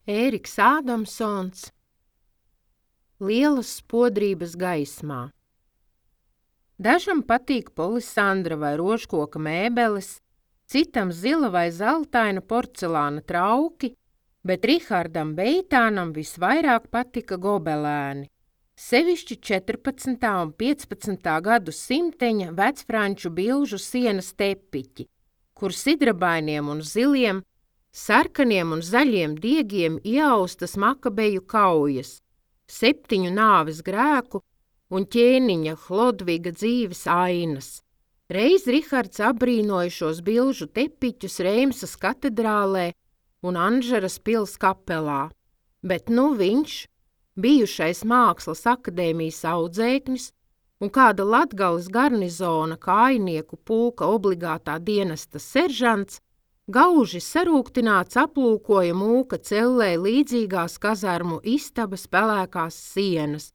Ēriks Ādamsons, Lielas spodrības gaismā. Dažam patīk polisandra vai rožkoka mēbeles, citam zila vai zeltaina porcelāna trauki, bet Rihardam Beitānam visvairāk patika gobelēni. Sevišķi 14. un 15. gadu simteņa vecfranču bilžu sienas tepiķi, kur sidrabainiem un ziliem, sarkaniem un zaļiem diegiem ieaustas Makabeju kaujas, 7 nāves grēku un ķēniņa Hlodviga dzīves ainas. Reiz Rihards abrīnoja šos bilžu tepiķus Reimsas katedrālē un Anžeras pils kapelā, bet viņš, bijušais Mākslas akadēmijas audzēknis un kāda Latgales garnizona kājinieku pulka obligātā dienesta seržants, gauži sarūktināts aplūkoja mūka cellē līdzīgās kazarmu istabas pelēkās sienas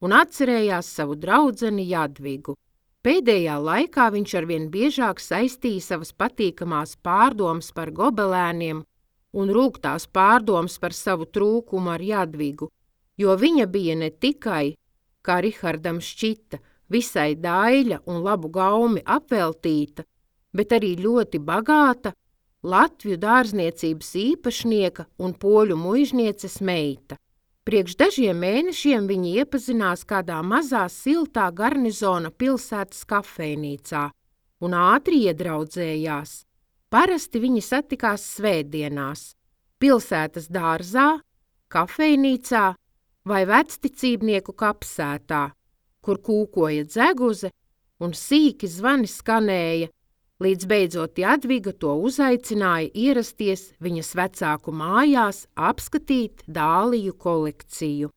un atcerējās savu draudzeni Jadvigu. Pēdējā laikā viņš arvien biežāk saistīja savas patīkamās pārdomas par gobelēniem un rūgtās pārdomas par savu trūkumu ar Jadvigu, jo viņa bija ne tikai, kā Rihardam šķita, visai daļa un labu gaumi apveltīta, bet arī ļoti bagāta, Latvju dārzniecības īpašnieka un poļu muižnieces meita. Priekš dažiem mēnešiem viņi iepazinās kādā mazā siltā garnizona pilsētas kafejnīcā un ātri iedraudzējās. Parasti viņi satikās svētdienās, pilsētas dārzā, kafejnīcā vai vecticībnieku kapsētā, kur kūkoja dzeguze un sīki zvani skanēja, līdz beidzot Jadviga to uzaicināja ierasties viņas vecāku mājās apskatīt dāliju kolekciju.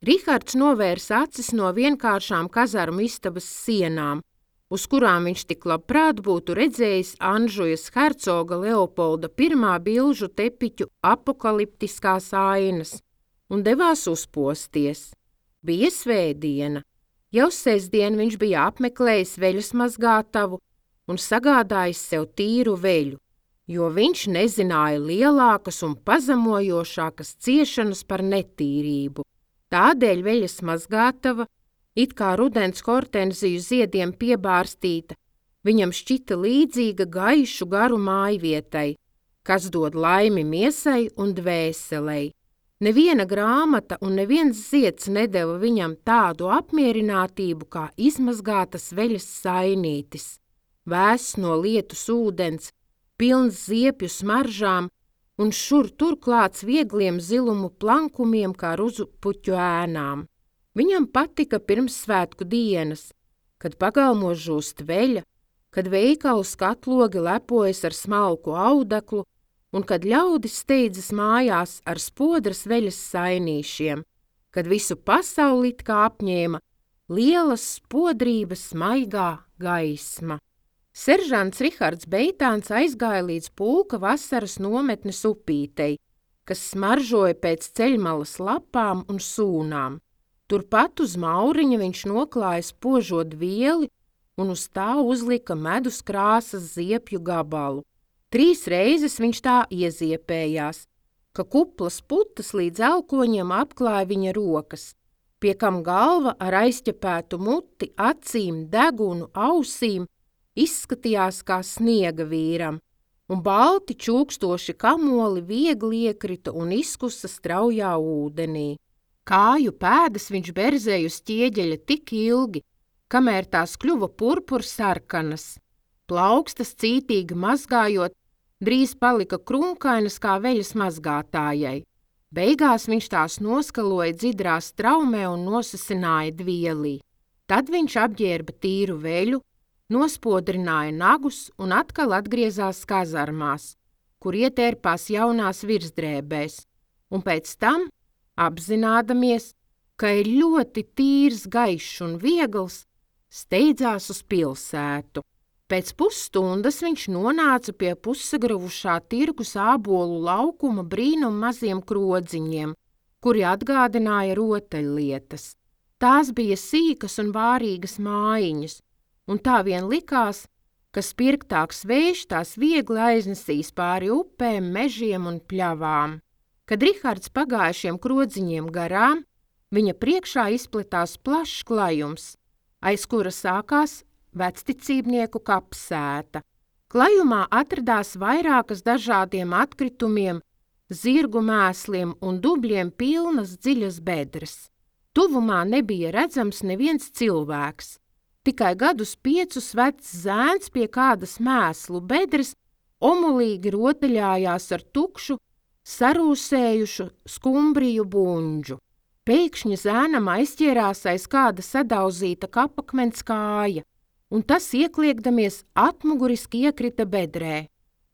Rihards novērsa acis no vienkāršām kazarmu istabas sienām, uz kurām viņš tik labprāt būtu redzējis Anžujas hercoga Leopolda I bilžu tepiķu apokaliptiskās ainas, un devās uzposties. Bija svētdiena. Jau sestdien viņš bija apmeklējis veļas mazgātavu un sagādājis sev tīru veļu, jo viņš nezināja lielākas un pazemojošākas ciešanas par netīrību. Tādēļ veļas mazgātava, it kā rudens hortenziju ziediem piebārstīta, viņam šķita līdzīga gaišu garu mājvietai, kas dod laimi miesai un dvēselei. Neviena grāmata un neviens zieds nedeva viņam tādu apmierinātību kā izmazgātas veļas sainītis. Vēss no lietus ūdens, pilns ziepju smaržām un šur turklāts viegliem zilumu plankumiem kā ruzu puķu ēnām. Viņam patika pirmssvētku dienas, kad pagalmos žūst veļa, kad veikalu skatlogi lepojas ar smalku audeklu un kad ļaudis steidzas mājās ar spodras veļas sainīšiem, kad visu pasauli it kā apņēma lielas spodrības maigā gaisma. Seržants Rihards Beitāns aizgāja līdz pulka vasaras nometnes upītei, kas smaržoja pēc ceļmalas lapām un sūnām. Turpat uz mauriņa viņš noklāja spožot vieli un uz tā uzlika medus krāsas ziepju gabalu. 3 reizes viņš tā ieziepējās, ka kuplas putas līdz elkoņiem apklāja viņa rokas, pie kam galva ar aizķepētu muti, acīm, degunu, ausīm izskatījās kā sniega vīram, un balti čūkstoši kamoli viegli iekrita un izkusa straujā ūdenī. Kāju pēdas viņš berzēja uz ķieģeļa tik ilgi, kamēr tās kļuva purpursarkanas. Plaukstas cītīgi mazgājot, drīz palika krunkainas kā veļas mazgātājai. Beigās viņš tās noskaloja dzidrā straumē un nosasināja dvielī. Tad viņš apģērba tīru veļu, nospodrināja nagus un atkal atgriezās kazarmās, kur ietērpās jaunās virsdrēbēs, un pēc tam, apzinādamies, ka ir ļoti tīrs, gaišs un viegls, steidzās uz pilsētu. Pēc pusstundas viņš nonāca pie pussagravušā tirgus ābolu laukuma brīnum maziem krodziņiem, kuri atgādināja rotaļlietas. Tās bija sīkas un vārīgas mājiņas, un tā vien likās, ka spirgtāks vējš tās viegli aiznesīs pāri upēm, mežiem un pļavām. Kad Rihards pagāja šiem krodziņiem garām, viņa priekšā izplatās plašs klajums, aiz kura sākās vecticībnieku kapsēta. Klajumā atradās vairākas dažādiem atkritumiem, zirgu mēsliem un dubļiem pilnas dziļas bedres. Tuvumā nebija redzams neviens cilvēks. Tikai gadus 5 vecs zēns pie kādas mēslu bedres omulīgi rotaļājās ar tukšu, sarūsējušu skumbriju buņģu. Pēkšņi zēnam aizķērās aiz kāda sadauzīta kapakmens kāja, un tas iekliekdamies atmuguriski iekrita bedrē.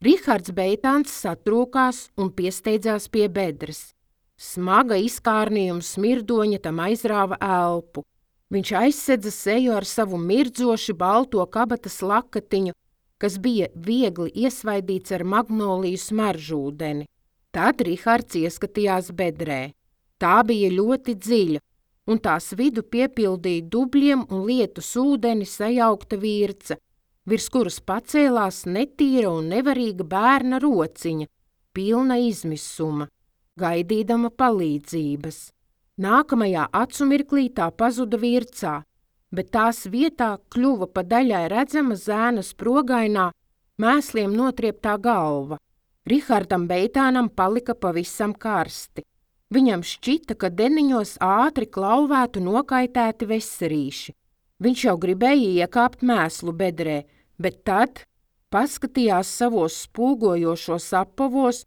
Rihards Beitāns satrūkās un piesteidzās pie bedres. Smaga izkārnījuma smirdoņa tam aizrāva elpu. Viņš aizsedza seju ar savu mirdzoši balto kabatas lakatiņu, kas bija viegli iesvaidīts ar magnoliju smaržūdeni. Tad Rihards ieskatījās bedrē. Tā bija ļoti dziļa, un tās vidu piepildīja dubļiem un lietus ūdeni sajaukta virca, virs kuras pacēlās netīra un nevarīga bērna rociņa, pilna izmisuma, gaidīdama palīdzības. Nākamajā acumirklī tā pazuda vircā, bet tās vietā kļuva pa daļai redzama zēna sprogainā, mēsliem notrieptā galva. Rihardam Beitānam palika pavisam karsti. Viņam šķita, ka deniņos ātri klauvētu nokaitēti veserīši. Viņš jau gribēja iekāpt mēslu bedrē, bet tad paskatījās savos spūgojošos apavos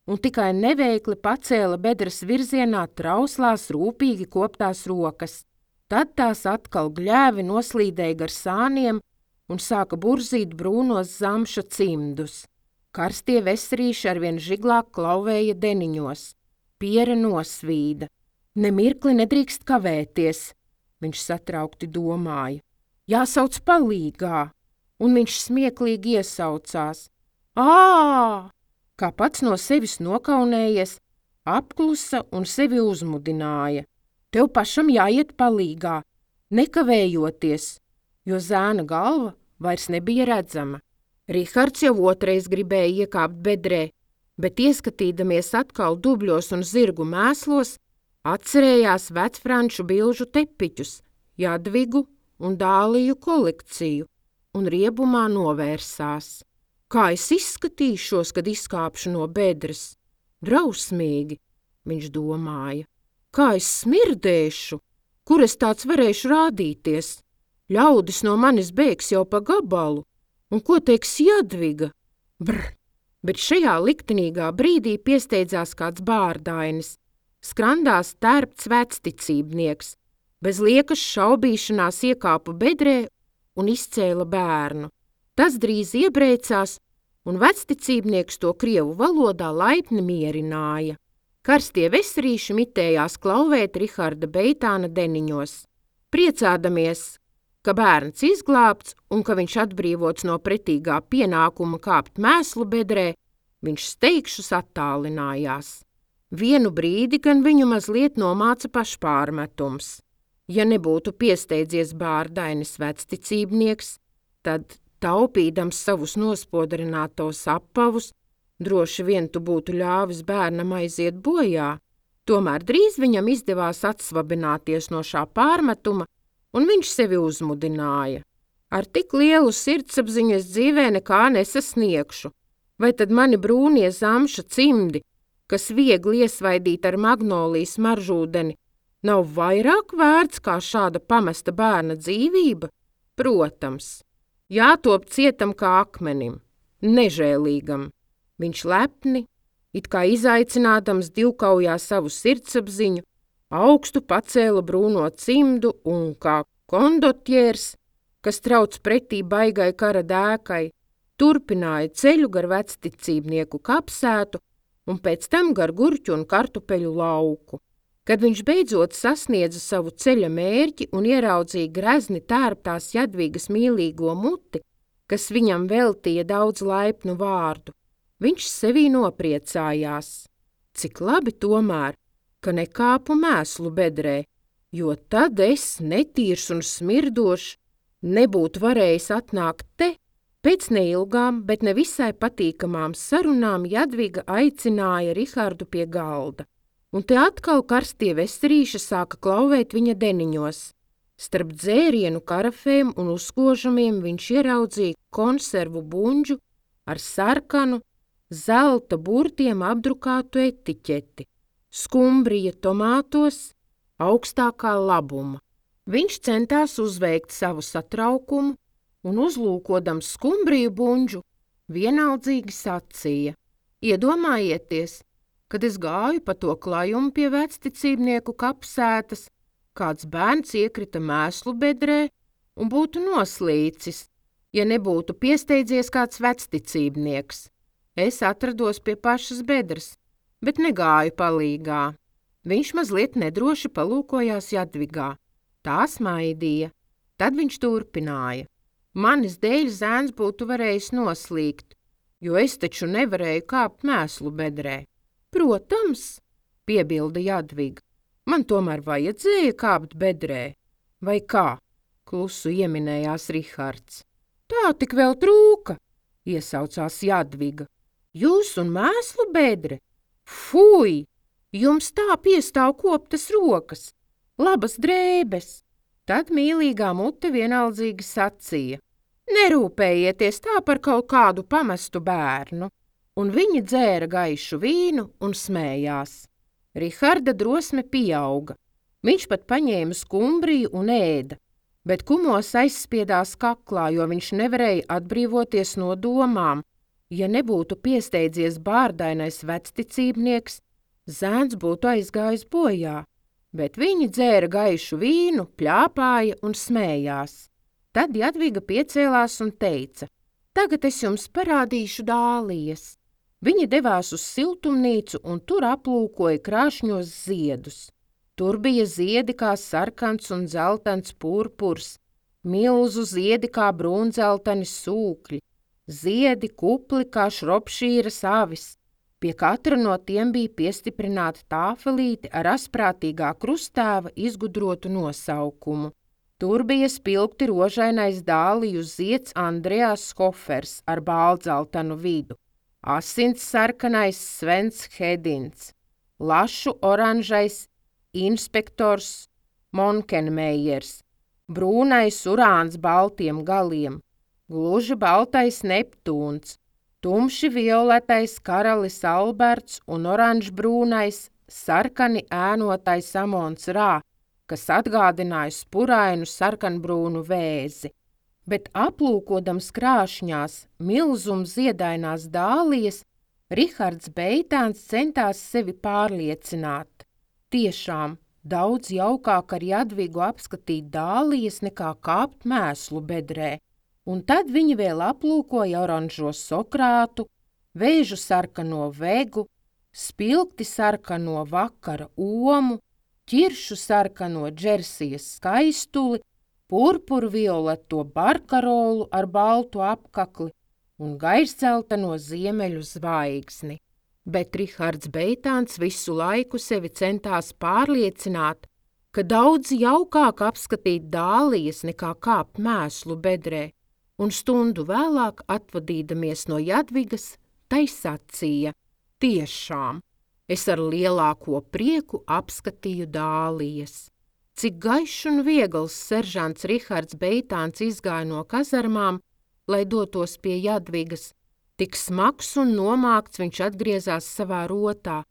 un tikai neveikli pacēla bedres virzienā trauslās rūpīgi koptās rokas. Tad tās atkal gļēvi noslīdēja gar sāniem un sāka burzīt brūnos zamša cimdus. Karstie veserīši arvien žiglāk klauvēja deniņos. Piera nosvīda. Nemirkli nedrīkst kavēties, viņš satraukti domāja. Jāsauc palīgā, un viņš smieklīgi iesaucās. Ā! Kā pats no sevis nokaunējies, apklusa un sevi uzmudināja. Tev pašam jāiet palīgā, nekavējoties, jo zēna galva vairs nebija redzama. Rihards jau otrais gribēja iekāpt bedrē, bet ieskatīdamies atkal dubļos un zirgu mēslos, atcerējās vecfranču bilžu tepiķus, Jadvigu un Dāliju kolekciju, un riebumā novērsās. Kā es izskatīšos, kad izkāpšu no bedres? Drausmīgi, viņš domāja. Kā es smirdēšu? Kur es tāds varēšu rādīties? Ļaudis no manis bēgs jau pa gabalu. Un ko teiks Jadviga? Brr! Bet šajā liktenīgā brīdī piesteidzās kāds bārdainis. Skrandās tērpts vecticībnieks. Bez liekas šaubīšanās iekāpa bedrē un izcēla bērnu. Tas drīz iebrēcās, un vecticībnieks to krievu valodā laipni mierināja. Karstie veserīši mitējās klauvēt Riharda Beitāna deniņos. Priecādamies, ka bērns izglābts un ka viņš atbrīvots no pretīgā pienākuma kāpt mēslu bedrē, viņš steigšus attālinājās. Vienu brīdi gan viņu mazliet nomāca pašpārmetums. Ja nebūtu piesteidzies bārdainis vecticībnieks, tad, taupīdams savus nospodrinātos apavus, droši vien tu būtu ļāvis bērnam aiziet bojā. Tomēr drīz viņam izdevās atsvabināties no šā pārmetuma, un viņš sevi uzmudināja. Ar tik lielu sirdsapziņu es dzīvē nekā nesasniegšu. Vai tad mani brūnie zamša cimdi, kas viegli iesvaidīt ar magnolijas maržūdeni, nav vairāk vērts kā šāda pamesta bērna dzīvība? Protams, jātop cietam kā akmenim, nežēlīgam. Viņš lepni, it kā izaicinādams divkaujā savu sirdsapziņu, augstu pacēla brūno cimdu un kā kondotjērs, kas trauc pretī baigai kara dēkai, turpināja ceļu gar vecticībnieku kapsētu un pēc tam gar gurķu un kartupeļu lauku. Kad viņš beidzot sasniedza savu ceļa mērķi un ieraudzīja grezni tērptās Jadvigas mīlīgo muti, kas viņam veltīja daudz laipnu vārdu, viņš sevī nopriecājās. Cik labi tomēr, ka nekāpu mēslu bedrē, jo tad es, netīrs un smirdošs, nebūtu varējis atnākt te Pēc neilgām, bet nevisai patīkamām sarunām Jadviga aicināja Rihardu pie galda, un te atkal karstie vesterīši sāka klauvēt viņa deniņos. Starp dzērienu karafēm un uzkožumiem viņš ieraudzīja konservu buņģu ar sarkanu, zelta burtiem apdrukātu etiķeti, skumbrija tomātos, augstākā labuma. Viņš centās uzveikt savu satraukumu un uzlūkodams skumbriju buņģu, vienaldzīgi sacīja: Iedomājieties, kad es gāju pa to klajumu pie vecticībnieku kapsētas, kāds bērns iekrita mēslu bedrē un būtu noslīcis, ja nebūtu piesteidzies kāds vecticībnieks. Es atrados pie pašas bedres, bet negāju palīgā. Viņš mazliet nedroši palūkojās Jadvigā. Tā smaidīja. Tad viņš turpināja: Manis dēļ zēns būtu varējis noslīgt, jo es taču nevarēju kāpt mēslu bedrē. Protams, piebilda Jadviga, man tomēr vajadzēja kāpt bedrē. Vai kā? Klusu ieminējās Rihards. Tā tik vēl trūka, iesaucās Jadviga. Jūs un mēslu bedre? Fui! Jums tā piestāv koptas rokas, labas drēbes. Tad mīlīgā mute vienaldzīgi sacīja: Nerūpējieties tā par kaut kādu pamestu bērnu. Un viņi dzēra gaišu vīnu un smējās. Riharda drosme pieauga. Viņš pat paņēma skumbriju un ēda, bet kumos aizspiedās kaklā, jo viņš nevarēja atbrīvoties no domām. Ja nebūtu piesteidzies bārdainais vecticībnieks, zēns būtu aizgājis bojā, bet viņi dzēra gaišu vīnu, pļāpāja un smējās. Tad Jadviga piecēlās un teica: Tagad es jums parādīšu dālijas. Viņi devās uz siltumnīcu un tur aplūkoja krāšņos ziedus. Tur bija ziedi kā sarkans un zeltans purpurs, milzu ziedi kā brūnzeltani sūkļi, ziedi kupli kā šropšīras avis. Pie katra no tiem bija piestiprināta tāfelīte ar asprātīgā krustēva izgudrotu nosaukumu. Tur bija spilgti rožainais dāliju zieds Andreas Hofers ar bāldzeltanu vidu, asins sarkanais Svens Hedins, lašu oranžais inspektors Monkenmejers, brūnais urāns baltiem galiem, gluži baltais Neptūns, tumši violetais karalis Alberts un oranžbrūnais sarkani ēnotais Amons Rā, kas atgādināja spurainu sarkanbrūnu vēzi. Bet aplūkodams krāšņās, milzum ziedainās dālijas, Rihards Beitāns centās sevi pārliecināt. Tiešām daudz jaukāk ar Jadvigu apskatīt dālijas nekā kāpt mēslu bedrē. Un tad viņi vēl aplūkoja oranžo Sokrātu, vēžu sarkano vegu, spilgti sarkano vakara omu, ķiršu sarkano Džersijas skaistuli, purpurvioleto barkarolu ar baltu apkakli un gaisdzelteno ziemeļu zvaigzni. Bet Rihards Beitāns visu laiku sevi centās pārliecināt, ka daudz jaukāk apskatīt dālijas nekā kāpt mēslu bedrē, un stundu vēlāk atvadīdamies no Jadvigas, tai sacīja: Tiešām! Es ar lielāko prieku apskatīju dālijas. Cik gaišs un viegls seržants Rihards Beitāns izgāja no kazarmām, lai dotos pie Jadvigas. Tik smags un nomākts viņš atgriezās savā rotā,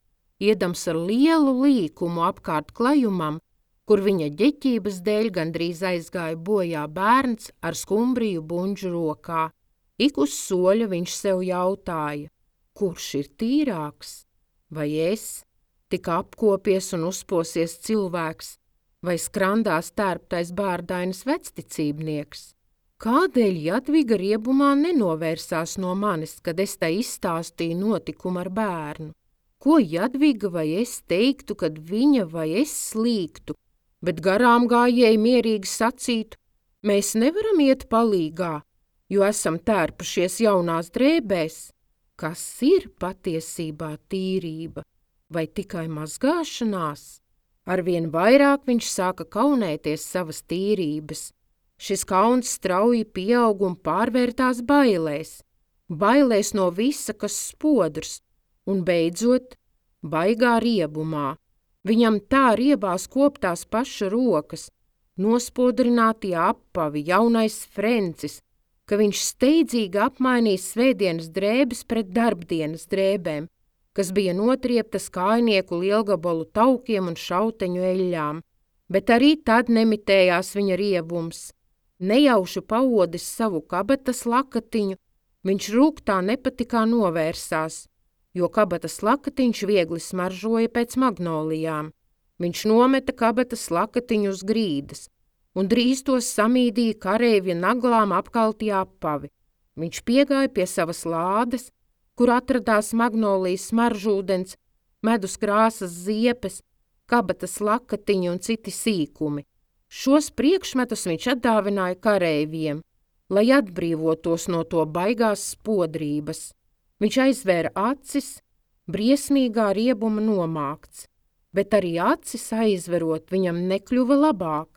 iedams ar lielu līkumu apkārt klajumam, kur viņa ģeķības dēļ gandrīz aizgāja bojā bērns ar skumbriju buņģu rokā. Ik uz soļa viņš sev jautāja: Kurš ir tīrāks? Vai es, tik apkopies un uzposies cilvēks, vai skrandās tērptais bārdainas vecticībnieks? Kādēļ Jadviga riebumā nenovērsās no manis, kad es tai izstāstīju notikumu ar bērnu? Ko Jadviga vai es teiktu, kad viņa vai es slīgtu, bet garām gājēji mierīgi sacītu: Mēs nevaram iet palīgā, jo esam tērpušies jaunās drēbēs. Kas ir patiesībā tīrība, vai tikai mazgāšanās? Arvien vairāk viņš sāka kaunēties savas tīrības, Šis kauns strauji pieaug un pārvērtās bailēs. Bailēs no visa, kas spodrs, un beidzot, baigā riebumā. Viņam tā riebās koptās paša rokas, nospodrinātie apavi, jaunais frencis, ka viņš steidzīgi apmainīs svētdienas drēbes pret darbdienas drēbēm, kas bija notrieptas kājnieku lielgabalu taukiem un šauteņu eļļām, bet arī tad nemitējās viņa riebums. Nejauši paodis savu kabatas lakatiņu, viņš rūgtā nepatikā novērsās, jo kabatas lakatiņš viegli smaržoja pēc magnolijām. Viņš nometa kabatas lakatiņu uz grīdas, un drīz tos samīdīja kareivja naglām apkaltie apavi. Viņš piegāja pie savas lādes, kur atradās magnolijas smaržūdens, medus krāsas ziepes, kabatas lakatiņi un citi sīkumi. Šos priekšmetus viņš atdāvināja kareiviem, lai atbrīvotos no to baigās spodrības. Viņš aizvēra acis, briesmīgā riebuma nomākts, bet arī acis aizverot viņam nekļuva labāk.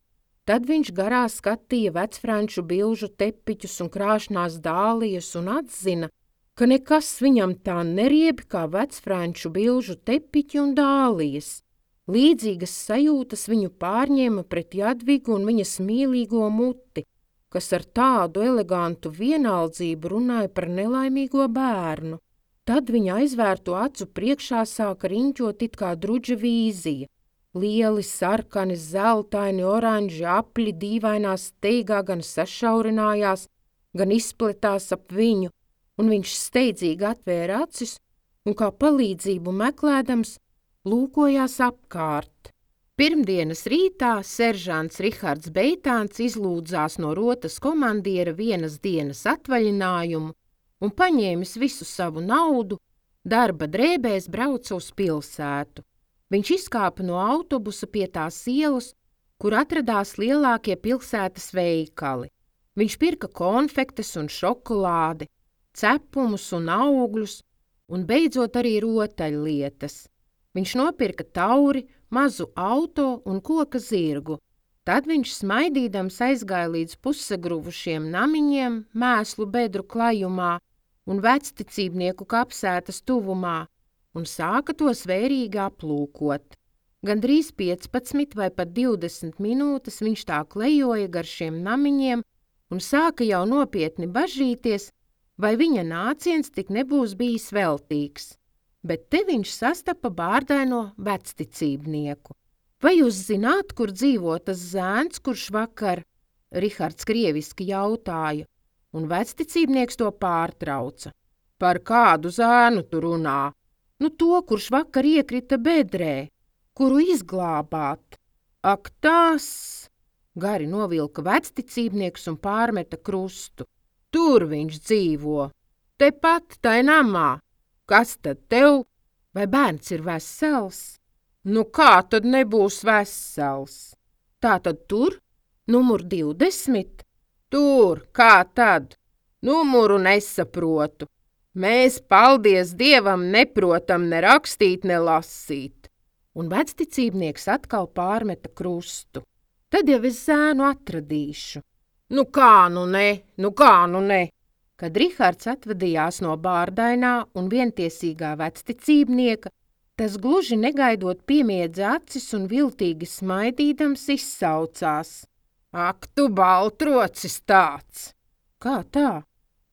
Tad viņš garā skatīja vecfranču bilžu tepiķus un krāšnās dālijas un atzina, ka nekas viņam tā neriebi kā vecfranču bilžu tepiķi un dālijas. Līdzīgas sajūtas viņu pārņēma pret Jadvigu un viņas mīlīgo muti, kas ar tādu elegantu vienaldzību runāja par nelaimīgo bērnu. Tad viņa aizvērto acu priekšā sāka riņķot it kā druģa vīzija. Lieli, sarkani, zeltaini, oranži apļi dīvainā steigā gan sašaurinājās, gan izpletās ap viņu, un viņš steidzīgi atvēra acis un kā palīdzību meklēdams lūkojās apkārt. Pirmdienas rītā seržants Rihards Beitāns izlūdzās no rotas komandiera vienas dienas atvaļinājumu un paņēmis visu savu naudu, darba drēbēs brauca uz pilsētu. Viņš izkāpa no autobusa pie tās ielas, kur atradās lielākie pilsētas veikali. Viņš pirka konfektes un šokolādi, cepumus un augļus un beidzot arī rotaļlietas. Viņš nopirka tauri, mazu auto un koka zirgu. Tad viņš smaidīdams aizgāja līdz pusagruvušiem namiņiem mēslu bedru klajumā un vecticībnieku kapsētas tuvumā un sāka tos vērīgi aplūkot. Gandrīz 15 vai pat 20 minūtes viņš tā klejoja gar šiem namiņiem un sāka jau nopietni bažīties, vai viņa nāciens tik nebūs bijis veltīgs. Bet te viņš sastapa bārdaino vecticībnieku. Vai jūs zināt, kur dzīvo tas zēns, kurš vakar? Rihards krieviski jautāja, un vecticībnieks to pārtrauca. Par kādu zēnu tu runā? Nu to, kurš vakar iekrita bedrē, kuru izglābāt. Ak tās! Gari novilka vecticībnieks un pārmeta krustu. Tur viņš dzīvo, tepat tai namā. Kas tad tev? Vai bērns ir vesels? Nu kā tad nebūs vesels? Tā tad tur? Numur 20? Tur, kā tad? Numuru nesaprotu. Mēs, paldies Dievam, neprotam ne rakstīt, ne lasīt. Un vecticībnieks atkal pārmeta krustu. Tad jau es zēnu atradīšu. Nu kā nu ne? Kad Rihards atvadījās no bārdainā un vientiesīgā vecticībnieka, tas gluži negaidot piemiedza acis un viltīgi smaidīdams izsaucās. Ak, tu baltrocis tāds! Kā tā?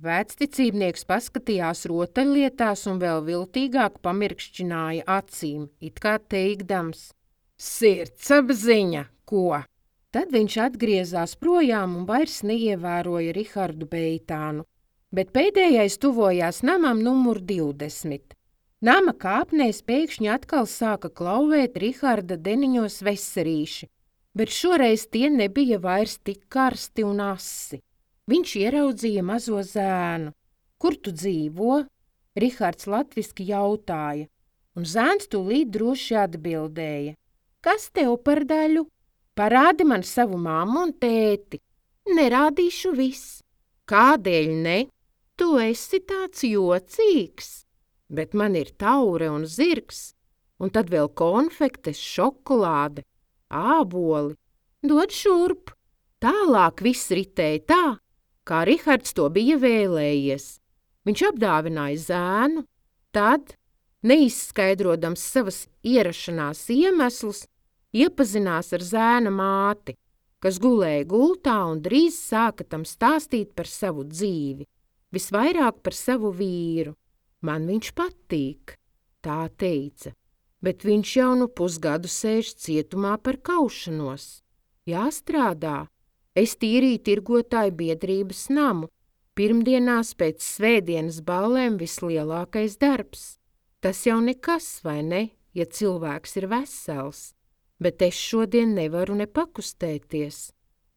Vecticībnieks paskatījās rotaļlietās un vēl viltīgāk pamirkšķināja acīm, it kā teikdams. Sirdsapziņa, ko? Tad viņš atgriezās projām un vairs neievēroja Rihardu Beitānu. Bet pēdējais tuvojās namam numur 20. Nama kāpnēs pēkšņi atkal sāka klauvēt Riharda deniņos veserīši, bet šoreiz tie nebija vairs tik karsti un asi. Viņš ieraudzīja mazo zēnu. Kur tu dzīvo? Rihards latviski jautāja, un zēns tūlīt droši atbildēja. Kas tev par daļu? Parādi man savu mammu un tēti. Nerādīšu viss. Kādēļ ne? Tu esi tāds jocīgs, bet man ir taure un zirgs, un tad vēl konfektes, šokolāde, āboli. Dod šurp, Tālāk viss ritēja tā, kā Rihards to bija vēlējies. Viņš apdāvināja zēnu, tad, neizskaidrodams savas ierašanās iemeslus, iepazinās ar zēna māti, kas gulēja gultā un drīz sāka tam stāstīt par savu dzīvi, visvairāk par savu vīru. Man viņš patīk, tā teica, bet viņš jau nu pusgadu sēž cietumā par kaušanos. Jāstrādā. Es tīrīju tirgotāju biedrības namu. Pirmdienās pēc svētdienas ballēm vislielākais darbs. Tas jau nekas, vai ne, ja cilvēks ir vesels, bet es šodien nevaru nepakustēties.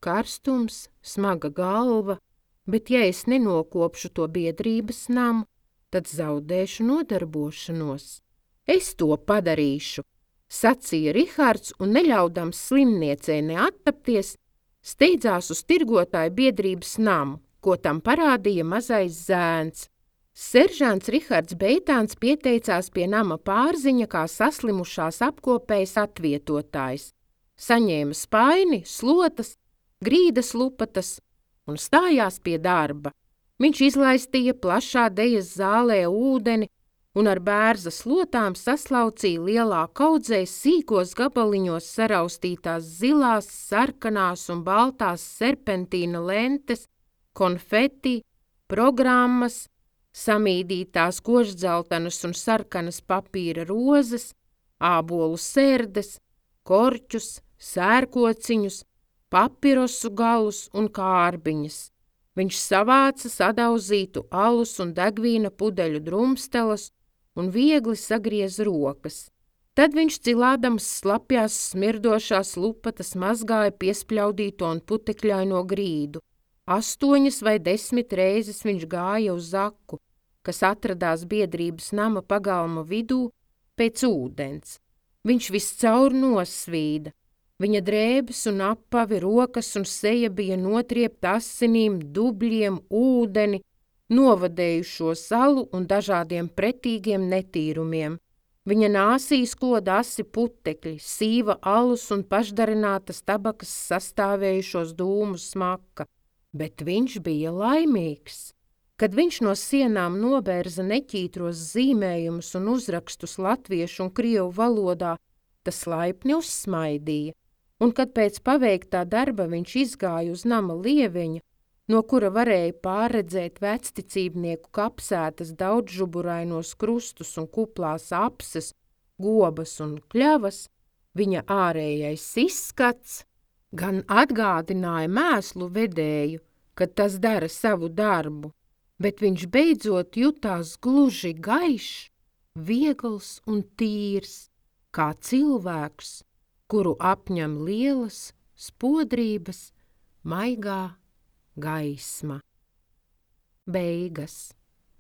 Karstums, smaga galva, bet ja es nenokopšu to biedrības namu, tad zaudēšu nodarbošanos. Es to padarīšu, sacīja Rihards un neļaudams slimniecei neattapties, steidzās uz tirgotāju biedrības namu, ko tam parādīja mazais zēns. Seržants Rihards Beitāns pieteicās pie nama pārziņa kā saslimušās apkopējas atvietotājs. Saņēma spaini, slotas, grīdas lupatas un stājās pie darba. Viņš izlaistīja plašā dejas zālē ūdeni un ar bērza slotām saslaucīja lielā kaudzē sīkos gabaliņos saraustītās zilās, sarkanās un baltās serpentīna lentes, konfeti, programmas, samīdītās koždzeltenas un sarkanas papīra rozes, ābolu sērdes, korķus, sērkociņus, papirosu galus un kārbiņas. Viņš savāca sadauzītu alus un degvīna pudeļu drumstelas un viegli sagriez rokas. Tad viņš cilādams slapjās smirdošās lupatas mazgāja piespļaudīto un putekļaino grīdu. 8 vai 10 reizes viņš gāja uz zaku, kas atradās biedrības nama pagalma vidū, pēc ūdens. Viņš viscaur nosvīda. Viņa drēbes un apavi, rokas un seja bija notriepta asinīm, dubļiem, ūdeni, novadējušo salu un dažādiem pretīgiem netīrumiem. Viņa nāsīs koda asi putekļi, sīva alus un pašdarinātas tabakas sastāvējušos dūmu smaka. Bet viņš bija laimīgs. Kad viņš no sienām nobērza neķītros zīmējumus un uzrakstus latviešu un krievu valodā, tas laipni uzsmaidīja, un kad pēc paveiktā darba viņš izgāja uz nama lieveņa, no kura varēja pārredzēt vecticībnieku kapsētas daudzžuburainos krustus un kuplās apses, gobas un kļavas, viņa ārējais izskats gan atgādināja mēslu vedēju, kad tas dara savu darbu, bet viņš beidzot jutās gluži gaišs, viegls un tīrs, kā cilvēks, kuru apņem lielas spodrības maigā gaisma. Beigas.